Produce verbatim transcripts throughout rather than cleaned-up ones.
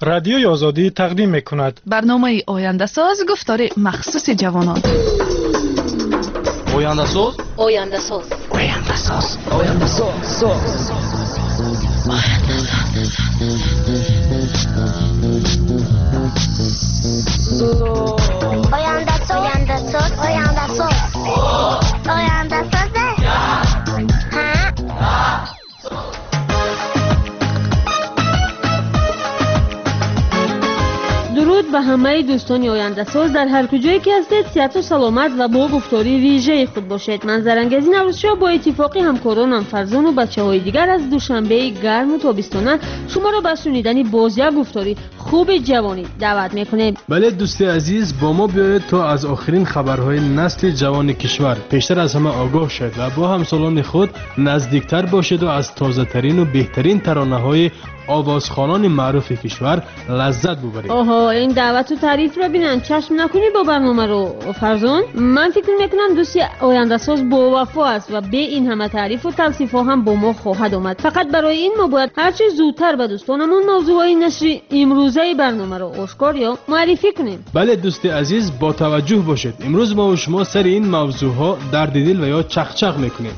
Радиои Озодӣ тақдим мекунад. Барномаи Ояндасоз, гуфтори махсуси ҷавонон. Ояндасоз, Ояндасоз, Ояндасоз, Ояндасоз, Ояндасоз, Ояндасоз, Ояндасоз, Ояндасоз. Дуруд ба ҳамаи дӯстони Ояндасоз дар ҳар куҷое ки ҳастед, сиҳату саломат ва бо гуфтори вижаи худ бошед. Манзарангези Наврӯзшоҳ бо иттифоқи ҳамкоронам Фарзону бачаҳои дигар аз Душанбеи гарму тобистона шуморо ба шунидани боз як гуфтори хуби ҷавонӣ даъват мекунем. Бале, дӯсти азиз, бо мо биёед то аз охирин хабарҳои насли ҷавони кишвар пештар аз ҳама огоҳ шавед ва бо ҳамсолони худ наздиктар бошеду аз тозатарину беҳтарин таронаҳои овозхонони маъруфи кишвар лаззат бубаред. Оҳо, ин даъвату таърифро бинанд, чашм накунӣ бо барномаро, Фарзон. Ман фикр мекунам дӯсти Ояндасоз бовафо аст ва бе ин ҳама таърифу тавсифҳо ҳам бо мо хоҳад омад. Фақат барои ин мо бояд ҳарчи зудтар ба дӯстонамон мавзӯъҳои нашри имрӯзаи барномаро ошкор ё муаррифӣ кунем. Бале, дӯсти азиз, бо таваҷҷӯҳ бошед. Имрӯз мо шумо сари ин мавзӯъҳо дарди дил ва ё чақчақ мекунем.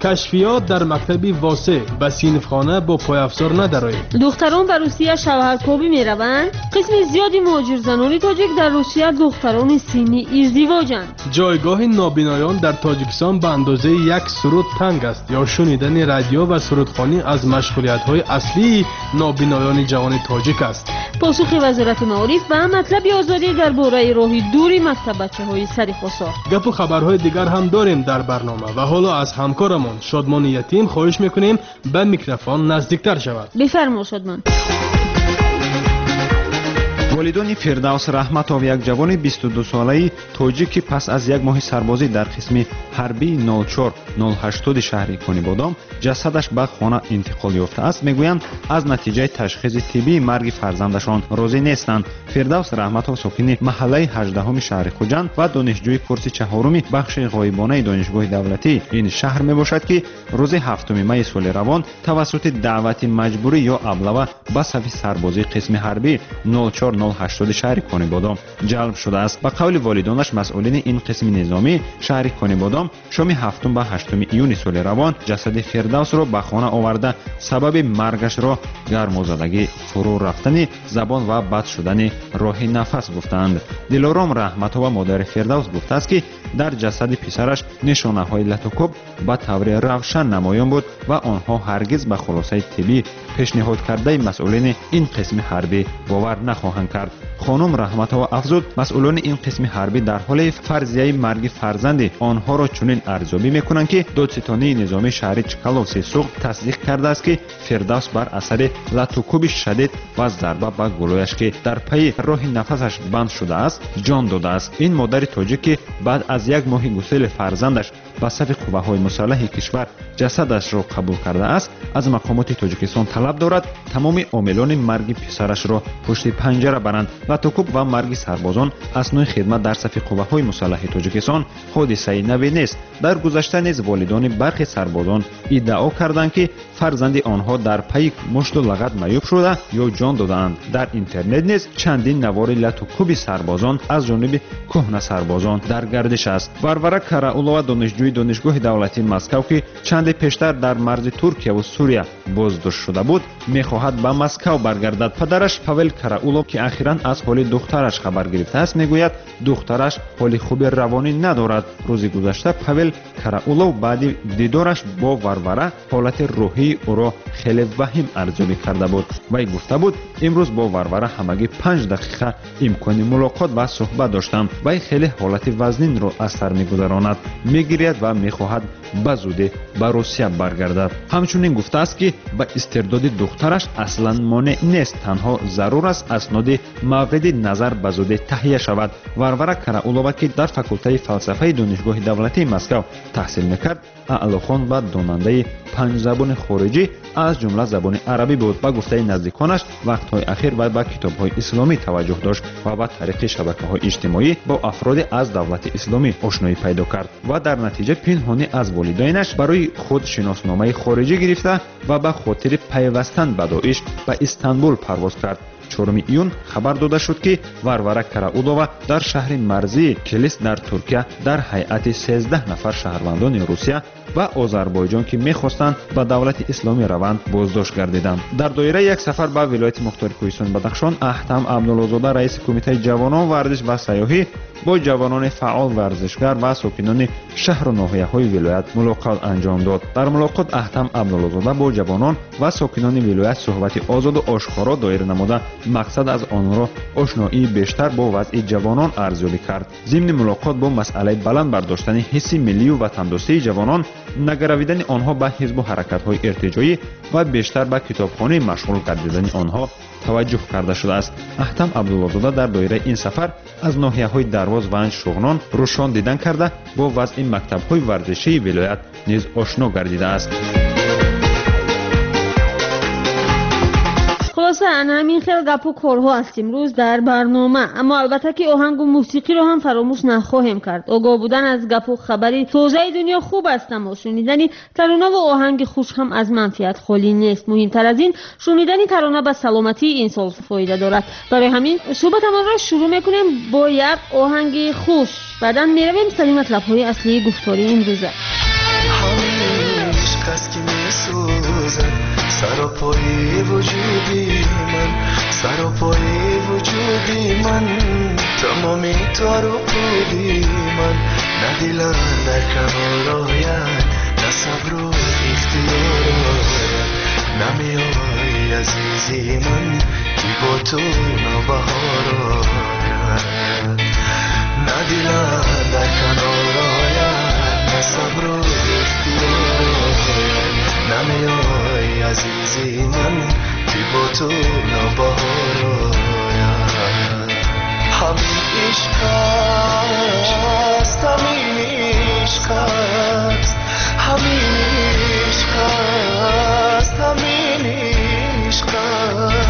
Кашфиёт дар мактаби Восеъ ба синфхона бо пойафзор надароед. Духтарон ба Русия шавҳаркобӣ мераванд. Қисми зиёди муҳоҷирзанони тоҷик дар Русия духтарони синни издивоҷанд. Ҷойгоҳи нобиноён дар Тоҷикистон ба андозаи як суруд танг аст ё шунидани радио ва сурудхонӣ аз машғулиятҳои аслии нобиноёни ҷавони тоҷик аст. Посухи Вазорати маориф ба матлаби Озодӣ дар бораи роҳи дури мактаббачаҳои сари Хосор. Гапу хабарҳои дигар ҳам дорем дар барнома ва ҳоло аз ҳамкорамон Шодмони Ятим хоҳиш мекунем ба микрофон наздиктар шавад. Бифармо, Шодмон. Волидони Фирдавс Раҳматов, як ҷавони бисту дусолаи тоҷик, ки пас аз як моҳи сарбозӣ дар қисми ҳарбии нол чор нол ҳаштоди шаҳри Конибодом ҷасадаш ба хона интиқол ёфтааст, мегӯянд аз натиҷаи ташхиси тиббии марги фарзандашон розӣ нестанд. Фирдавс Раҳматов сокини маҳаллаи ҳаждаҳуми шаҳри Хуҷанд ва донишҷӯи курси чаҳоруми бахши ғоибонаи донишгоҳи давлатии ин шаҳр мебошад, ки рӯзи ҳафтуми майи соли равон тавассути даъвати маҷбурӣ ё аблава ба сафи сарбозии қисми ҳарбӣ нол чор нол ҳаштоди шаҳри Конибодом ҷалб шудааст. Ба қавли волидонаш, масъулини ин қисми низомӣ шаҳри Конибодом шоми ҳафтум ба ҳаштуми июни соли равон ҷасади Фирдавсро ба хона оварда, сабаби маргашро гармозадагӣ, фурӯ рафтани забон ва бад шудани роҳи нафас гуфтаанд. Дилором Раҳматова, модари Фирдавс, гуфтааст, ки дар ҷасади писараш нишонаҳои латукӯб ба таври равшан намоён буд ва онҳо ҳаргиз ба хулосаи тиббӣ пешниҳод кардаи масъулини ин қисми ҳарбӣ бовар нахоҳанд кард. Хонум Раҳматова афзуд, масъулони ин қисми ҳарбӣ дар ҳоли фарзияи марги фарзанди онҳоро чунин арзёбӣ мекунанд, ки додситонии низомии шаҳри Чкаловси Суғд тасдиқ кардааст, ки Фирдавс бар асари латукӯби шадид ва зарба ба гулӯяш, ки дар пайи роҳи нафасаш банд шудааст, ҷон додааст. Ин модари тоҷик, ки баъд аз як моҳи гусели фарзандаш ба сафи қувваҳои мусаллаҳи кишвар ҷасадашро қабул кардааст, аз мақомоти Тоҷикистон талаб дорад тамоми омилони марги писарашро пушти панҷара баранд. Латукӯб ва марги сарбозон аснои хидмат дар сафи қувваҳои мусаллаҳи Тоҷикистон ҳодисаи наве нест. Дар гузашта низ волидони бархе сарбозон иддао карданд, ки фарзанди онҳо дар пайи мушту лағат маъюб шуда ё ҷон додаанд. Дар интернет низ чандин навори латукӯби сарбозон аз ҷониби кӯҳна сарбозон дар гардиш аст. Варвара Караулова, донишҷӯи донишгоҳи давлатии Москав, ки чанде пештар дар марзи Туркияву Сурия боздошт шуда буд, мехоҳад ба Москав баргардад. Падараш Павел Караулов, ки ахиран аз ҳоли духтараш хабар гирифтааст, мегӯяд духтараш ҳоли хуби равонӣ надорад. Рӯзи гузашта Павел Караулов баъди дидораш бо Варвара ҳолати рӯҳии ӯро хеле ваҳим арзёбӣ карда буд. Вай гуфта буд, имрӯз бо Варвара ҳамагӣ панҷ дақиқа имкони мулоқот ва суҳбат доштам. Вай хеле ҳолати вазнинро аз сар мегузаронад, мегиряд ва мехоҳад ба зудӣ ба Русия баргардад. Ҳамчунин гуфтааст, ки ба истирдоди духтараш аслан монеъ нест, танҳо зарур аст асноди мавриди назар ба зудӣ таҳия шавад. Варвара Караулова, ки дар факултаи фалсафаи донишгоҳи давлатии Москав таҳсил мекард, аълохон ва донандаи панҷ забони хориҷӣ аз ҷумла забони арабӣ буд. Ба гуфтаи наздиконаш, вақтҳои ахир вай ба китобҳои исломӣ таваҷҷӯҳ дошт ва ба тариқи шабакаҳои иҷтимоӣ бо афроде аз давлати исломӣ ошноӣ пайдо кард ва дар натиҷа пинҳонӣ аз волидайнаш барои худ шиносномаи хориҷӣ гирифта ва ба хотири пайвастан ба Доиш ба Истанбул парвоз кард. Чоруми июн хабар дода шуд, ки Варвара Караулова дар шаҳри марзии Келис дар Туркия дар ҳайати сездаҳ нафар шаҳрвандони Русия ва Озарбойҷон, ки мехостанд ба давлати исломӣ раванд, боздошт гардиданд. Дар доираи як сафар ба вилояти мухтори Кӯҳистони Бадахшон, Аҳтам Абдуллозода, раиси кумитаи ҷавонон, варзиш ва сайёҳӣ, бо ҷавонони фаъол, варзишгар ва сокинони шаҳру ноҳияҳои вилоят мулоқот анҷом дод. Дар мулоқот Аҳтам Абдуллозода бо ҷавонон ва сокинони вилоят суҳбати озоду ошкоро доир намуда, мақсад аз онро ошноии бештар бо вазъи ҷавонон арзёбӣ кард. Зимни мулоқот бо масъалаи баланд бардоштани ҳисси миллию ватандӯстии ҷавонон, нагаравидани онҳо ба ҳизбу ҳаракатҳои иртиҷоӣ ва бештар ба китобхонӣ машғул гардидани онҳо таваҷҷӯҳ карда шудааст. Аҳтам Абдуллозода дар доираи ин сафар аз ноҳияҳои Дарвоз, Ванҷ, Шуғнон, Рӯшон дидан карда, бо вазъи мактабҳои варзишии вилоят низ ошно гардидааст. Хулоса, ана ҳамин хел гапу корҳо аст имрӯз дар барнома. Аммо албатта ки оҳангу мусиқиро ҳам фаромӯш нахоҳем кард. Огоҳ будан аз гапу хабари тозаи дунё хуб аст, аммо шунидани таронаву оҳанги хуш ҳам аз манфиат холӣ нест. Муҳимтар аз ин, шунидани тарона ба саломатии инсон фоида дорад. Барои ҳамин суҳбатамонро шурӯъ мекунем бо як оҳанги хуш. Баъдан меравем сари матлабҳои аслии гуфтори имрӯза. سراپای وجودی من، سراپای وجودی من، تمامی تار و پودی من، نه دلم در کنار آید، نه صبر و اختیار آید، نمیای عزیزی من که با تو نوبهار آید، نه دلم در کنار آید، نه صبر و اختیار آید، نمیای عزیزی من که با تو نوبهار آید. همین عشق است، همین عشق است، همین عشق است، همین عشق است.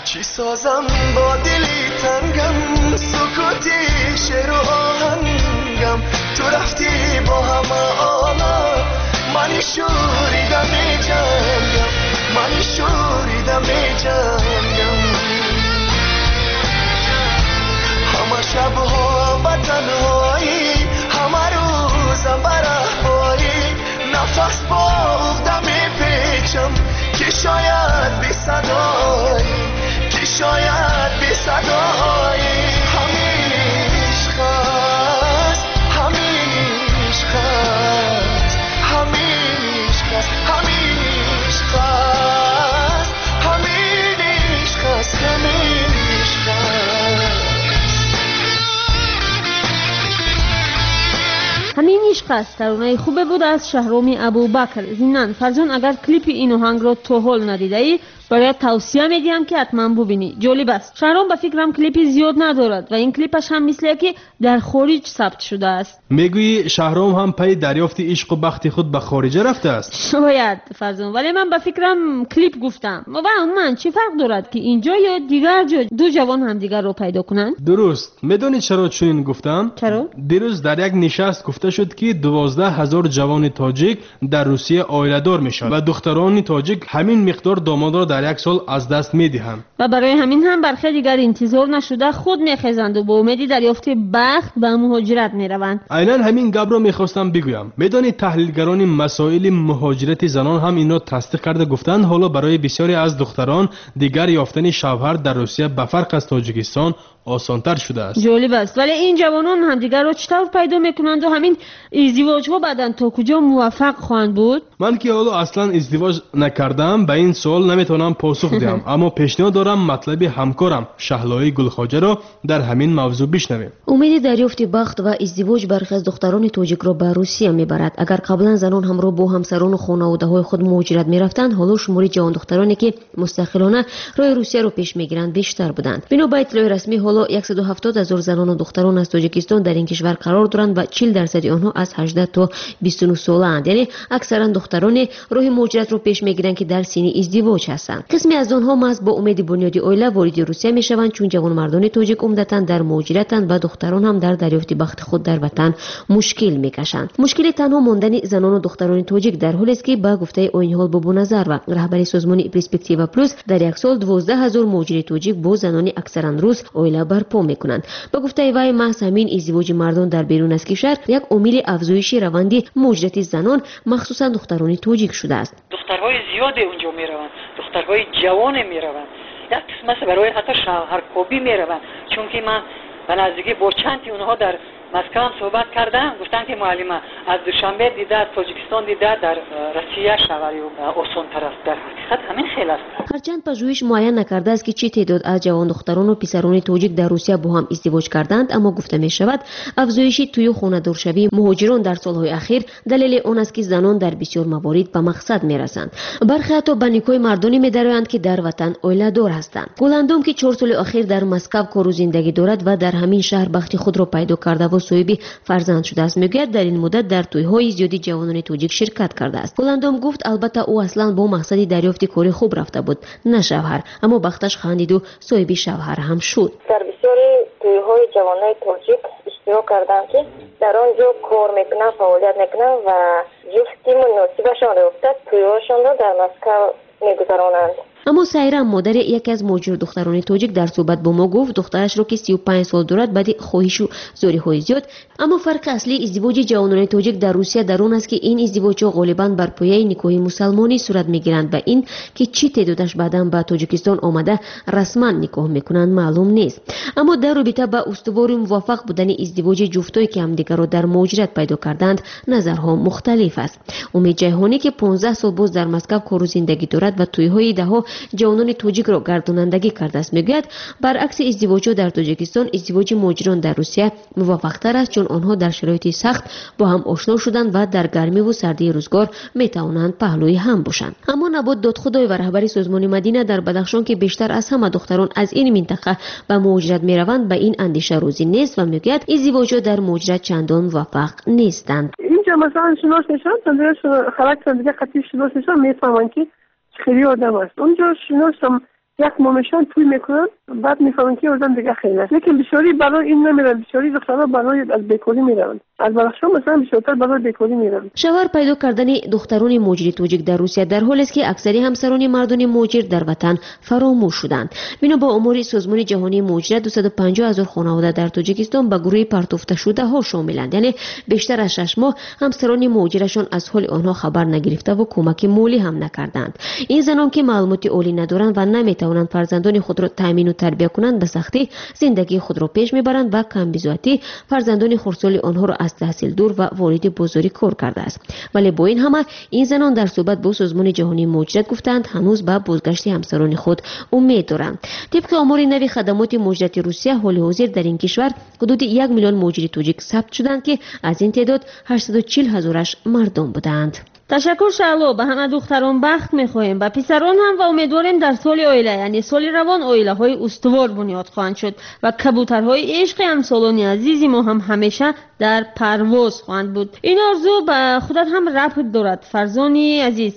چی سازم با دلی تنگم، سکوتی شعر و آهنگم، تو رفتی با همه عالم، من شوریدم می‌جنگم، من شوریدم می‌جنگم، همه شبها به تنهایی، همه روزم برهبایی، نفس با عقده میپیچم که شاید بی صدایی، که شاید بی صدایی. همین عشق است، همین عشق است، همین عشق است، همین عشق است، همین عشق است، همین عشق است. ҳамин ишқ аст таронаи хубе буд аз Шаҳроми Абубакр. Зимнан Фарзон, агар клипи ин оҳангро то ҳол надидаӣ, бояд тавсия медиҳам ки ҳатман бубинӣ. Ҷолиб аст. Шаҳром ба фикрам клипи зиёд надорад ва ин клипаш ҳам мисле ки дар хориҷ сабт шудааст. Мегӯӣ Шаҳром ҳам пайи дарёфти ишқу бахти худ ба хориҷа рафтааст? Шояд Фарзон, вале ман ба фикрам клип гуфтам. Ва умуман чӣ фарқ дорад ки инҷо ё дигар ҷо ду ҷавон ҳамдигарро пайдо кунанд? Дуруст. Медонӣ чаро чунин гуфтам? Чаро? Дирӯз дар як нишаст гуфта шуд ки дувоздаҳ ҳазор ҷавони тоҷик дар Русия оиладор мешаванд ва духтарони тоҷик ҳамин миқдор домодро дар як сол аз даст медиҳанд. Ва барои ҳамин ҳам бархе дигар интизор нашуда худ мехезанду бо умеди дарёфти бахт ба муҳоҷират мераванд. Айнан ҳамин гапро мехостам бигӯям. Медонед таҳлилгарони масоили муҳоҷирати занон ҳам инро тасдиқ карда гуфтанд, ҳоло барои бисёре аз духтарон дигар ёфтани шавҳар дар Русия ба фарқ аз Тоҷикистон осонтар шудааст. Ҷолиб аст, вале ин ҷавонон ҳамдигарро чӣ тавр пайдо мекунанду ҳамин издивоҷҳо баъдан то куҷо муваффақ хоҳанд буд? Ман ки ҳоло аслан издивоҷ накардаам, ба ин суол наметавонам посух диҳам, аммо пешниҳод дорам матлаби ҳамкорам Шаҳлои Гулхоҷаро дар ҳамин мавзӯъ бишнавем. Умеди дарёфти бахт ва издивоҷ бархе аз духтарони тоҷикро ба Русия мебарад. Агар қаблан занон ҳамроҳ бо ҳамсарону хонаводаҳои худ муҳоҷират мерафтанд, ҳоло шумори ҷавондухтароне ки мустақилона роҳи Русияро пеш мегиранд бештар буданд. Бино ба иттилои расмӣ, ҳоло ҳоло яксаду ҳафтод ҳазор занону духтарон аз Тоҷикистон дар ин кишвар қарор доранд ва чил дарсади онҳо аз ҳаждаҳ то бисту нӯҳ солаанд. Яъне аксаран духтароне роҳи муҳоҷиратро пеш мегиранд, ки дар синни издивоҷ ҳастанд. Қисме аз онҳо маҳз бо умеди бунёди оила вориди Русия мешаванд, чун ҷавонмардони тоҷик умдатан дар муҳоҷиратанд ва духтарон ҳам дар дарёфти бахти худ дар ватан мушкил мекашанд. Мушкили танҳо мондани занону духтарони тоҷик дар ҳолест, ки ба гуфтаи Оиниҳол Бобоназарова, раҳбари созмони Перспектива Плюс, дар як сол дувоздаҳ ҳазор муҳоҷири тоҷик бо занони аксаран рус оила барпо мекунанд. Ба гуфтаи вай, маҳз ҳамин издивоҷи мардон дар берун аз кишвар як омили афзоиши раванди муҳоҷирати занон, махсусан духтарони тоҷик шудааст. Духтарҳои зиёде унҷо мераванд, духтарҳои ҷавоне мераванд, як қисмаш барои ҳатто шавҳаркобӣ мераванд, чунки ман ба наздикӣ бо чанди онҳо дар Москва ҳам суҳбат кардам, гуфтанд ки муаллима аз Душанбе дида, аз Тоҷикистон дида, дар Россия шавҳарӣ осонтар аст. Дар ҳақиқат ҳамин хел аст. Ҳарчанд пажӯҳиш муайян накардааст, ки чӣ теъдод аз ҷавондухтарону писарони тоҷик дар Русия бо ҳам издивоҷ карданд, аммо гуфта мешавад афзоиши тӯю хонадоршавии муҳоҷирон дар солҳои ахир далели он аст, ки занон дар бисёр маворид ба мақсад мерасанд. Бархе ҳатто ба никоҳи мардоне медароянд, ки дар ватан оиладор ҳастанд. Гуландом, ки чор соли охир дар Москав кору зиндагӣ дорад ва дар ҳамин шаҳр бахти худро пайдо кардаву соҳиби фарзанд шудааст, мегӯяд дар ин муддат дар тӯйҳои зиёди ҷавонони тоҷик ширкат кардааст. Гуландом гуфт, албатта ӯ аслан бо мақсади дарёфти кори хуб рафта буд, на шавҳар, аммо бахташ хандиду соҳиби шавҳар ҳам шуд. Дар бисёри тӯйҳои ҷавонони тоҷик иштирок кардам, ки дар он ҷо кор мекунанд, фаъолият мекунанд ва ҷуфти муносибашонро ёфта тӯйҳошонро дар Москав мегузаронанд. Аммо Сайрам, модари яке аз муҳоҷир духтарони тоҷик, дар суҳбат бо мо гуфт духтарашро, ки сию панҷ сол дорад, баъди хоҳишу зориҳои зиёд. Аммо фарқи аслии издивоҷи ҷавонони тоҷик дар Русия дар он аст, ки ин издивоҷҳо ғолибан бар пояи никоҳи мусалмонӣ сурат мегиранд ва ин ки чӣ теъдодаш баъдан ба Тоҷикистон омада расман никоҳ мекунанд маълум нест. Аммо дар робита ба устувору муваффақ будани издивоҷи ҷуфтое, ки ҳамдигарро дар муҳоҷират пайдо карданд, назарҳо мухталиф аст. Умед Ҷайҳонӣ, ки понздаҳ сол боз дар Москав кору зиндагӣ дорад ва тӯйҳои даҳо ҷавонони тоҷикро гардонандагӣ кардааст, мегӯяд баръакси издивоҷҳо дар Тоҷикистон, издивоҷи муҳоҷирон дар Русия муваффақтар аст, чун онҳо дар шароити сахт бо ҳам ошно шуданд ва дар гармиву сардии рӯзгор метавонанд паҳлӯи ҳам бошанд. Аммо Набот Додхудоева, раҳбари созмони Мадина дар Бадахшон, ки бештар аз ҳама духтарон аз ин минтақа ба муҳоҷират мераванд, ба ин андеша розӣ нест ва мегӯяд издивоҷҳо дар муҳоҷират чандон муваффақ нестанд. Инҷо масалан шинос мешаванд, характер дига қатъи шинос мешаванд, мефаҳманд, ки хеле одам аст. Онҷо шиносам як моҳ мешаванд, тӯй мекунанд, баъд мефаҳманд, ки одам дига хеле аст. Лекин бисёрӣ барои ин намераванд, бисёрӣ духтарҳо барои аз бекорӣ мераванд. Аз Бадахшон масалан бисёртар барои бекорӣ мераванд. Шавҳар пайдо кардани духтарони муҳоҷири тоҷик дар Русия дар ҳолест, ки аксари ҳамсарони мардони муҳоҷир дар ватан фаромӯш шуданд. Бино ба омори Созмони ҷаҳонии муҳоҷират, дусаду панҷоҳ ҳазор хонавода дар Тоҷикистон ба гурӯҳи партофташудаҳо шомиланд. Яъне бештар аз шаш моҳ ҳамсарони муҳоҷирашон аз ҳоли онҳо хабар нагирифтаву кӯмаки молӣ ҳам накарданд. Ин занон, ки маълумоти олӣ надоранд ва наметавонанд фарзандони худро таъмину тарбия кунанд, ба сахтӣ зиндагии худро пеш мебаранд ва камбизоатӣ фарзандони хурдсоли онҳоро аз таҳсил дур ва вориди бозори кор кардааст. Вале бо ин ҳама ин занон дар суҳбат бо Созмони ҷаҳонии муҳоҷират гуфтанд, ҳанӯз ба бозгашти ҳамсарони худ умед доранд. Тибқи омори нави хадамоти муҳоҷирати Русия, ҳоли ҳозир дар ин кишвар ҳудуди як миллион муҳоҷири тоҷик сабт шуданд, ки аз ин теъдод ҳаштсаду чил ҳазораш мардон буданд. Ташаккур, Шаъло. Ба ҳама духтарон бахт мехоҳем, ба писарон ҳам, ва умедворем дар соли оила, яъне соли равон, оилаҳои устувор бунёд хоҳанд шуд ва кабутарҳои ишқи ҳамсолони азизи мо ҳам ҳамеша дар парвоз хоҳанд буд. Ин орзу ба худат ҳам рабт дорад, Фарзони азиз.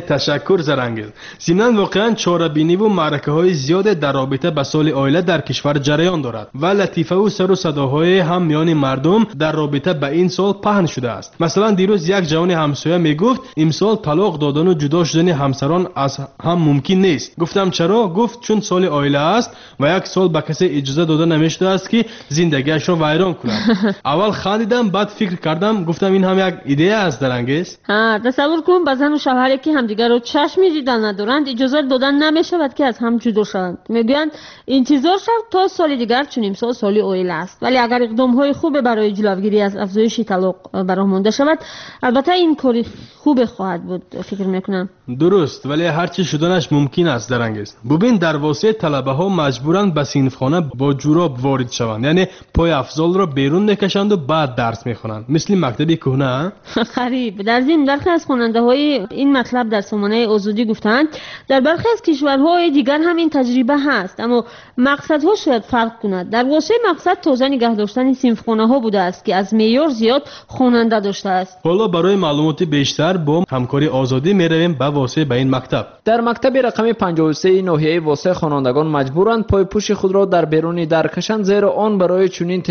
Ташаккур, Зарангез. Зимнан воқеан чорабиниву маъракаҳои зиёде дар робита ба соли оила дар кишвар ҷараён дорад ва латифаву сару садоҳое ҳам миёни мардум дар робита ба ин сол паҳн шудааст. Масалан, дирӯз як ҷавони ҳамсоя мегуфт, имсол талоқ додану ҷудо шудани ҳамсарон аз ҳам мумкин нест. Гуфтам чаро? Гуфт чун соли оила аст ва як сол ба касе иҷоза дода намешудааст, ки зиндагиашро вайрон кунад. Аввал хандидам, баъд фикр кардам, гуфтам ин ҳам як идея аст, Зарангез. Тасаввур кун, ба зану шавҳаре ки ҳамдигарро чашми дидан надоранд, иҷозат додан намешавад, ки аз ҳам ҷудо шаванд. Мегӯянд интизор шав то соли дигар, чун имсол соли оила аст. Вале агар иқдомҳои хубе барои ҷилавгирӣ аз афзоиши талоқ ба роҳ монда шавад, албатта ин кори хубе хоҳад буд, фикр мекунам. Дуруст, вале ҳарчи шуданаш мумкин аст, Зарангез. Бубин, дар восеъ талабаҳо маҷбуранд ба синфхона бо ҷуроб ворид шаванд, яъне пойафзолро берун мекашанду баъд дарс мехонанд, мисли мактаби кӯҳна. Қариб. Дар зимн бархе аз хонандаҳои ин матлаб дар сомонаи Озодӣ гуфтаанд, дар бархе аз кишварҳои дигар ҳам ин таҷриба ҳаст, аммо мақсадҳо шояд фарқ кунад. Дар Восеъ мақсад тоза нигоҳ доштани синфхонаҳо будааст, ки аз меъёр зиёд хонанда доштааст. Ҳоло барои маълумоти бештар бо ҳамкори Озодӣ меравем ба Восеъ, ба ин мактаб. Дар мактаби рақами панҷоҳу се ноҳияи Восеъ хонандагон маҷбуранд пойпӯши худро дар беруни дар кашанд, зеро он барои чунин